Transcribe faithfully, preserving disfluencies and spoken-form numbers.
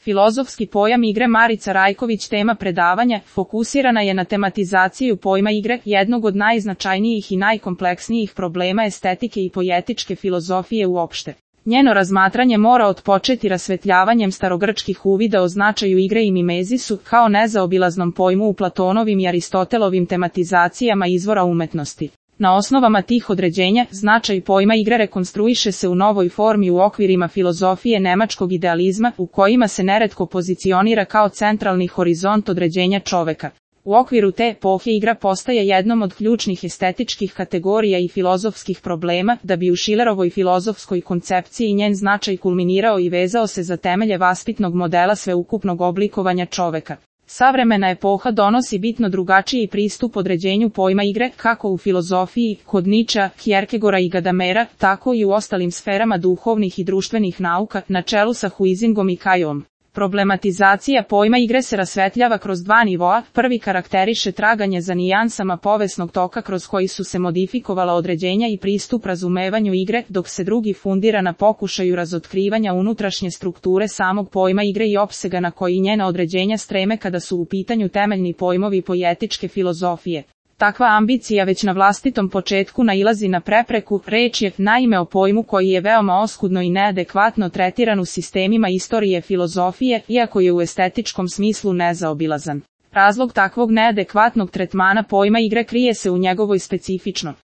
Filozofski pojam igre. Marica Rajković. Tema predavanja fokusirana je na tematizaciju pojma igre, jednog od najznačajnijih i najkompleksnijih problema estetike i poetičke filozofije uopšte. Njeno razmatranje mora otpočeti rasvetljavanjem starogrčkih uvida o značaju igre i mimezisu, kao nezaobilaznom pojmu u Platonovim i Aristotelovim tematizacijama izvora umetnosti. Na osnovama tih određenja, značaj pojma igre rekonstruiše se u novoj formi u okvirima filozofije nemačkog idealizma, u kojima se neretko pozicionira kao centralni horizont određenja čoveka. U okviru te epohe igra postaje jednom od ključnih estetičkih kategorija i filozofskih problema, da bi u Schillerovoj filozofskoj koncepciji njen značaj kulminirao i vezao se za temelje vaspitnog modela sveukupnog oblikovanja čoveka. Savremena epoha donosi bitno drugačiji pristup određenju pojma igre, kako u filozofiji, kod Nietzschea, Kierkegaarda i Gadamera, tako i u ostalim sferama duhovnih i društvenih nauka, na čelu sa Huizingom i Kajom. Problematizacija pojma igre se rasvetljava kroz dva nivoa. Prvi karakteriše traganje za nijansama povesnog toka kroz koji su se modifikovala određenja i pristup razumevanju igre, dok se drugi fundira na pokušaju razotkrivanja unutrašnje strukture samog pojma igre i opsega na koji njena određenja streme kada su u pitanju temeljni pojmovi poetičke filozofije. Takva ambicija već na vlastitom početku nailazi na prepreku. Reč je, naime, o pojmu koji je veoma oskudno i neadekvatno tretiran u sistemima istorije filozofije, iako je u estetičkom smislu nezaobilazan. Razlog takvog neadekvatnog tretmana pojma igre krije se u njegovoj specifično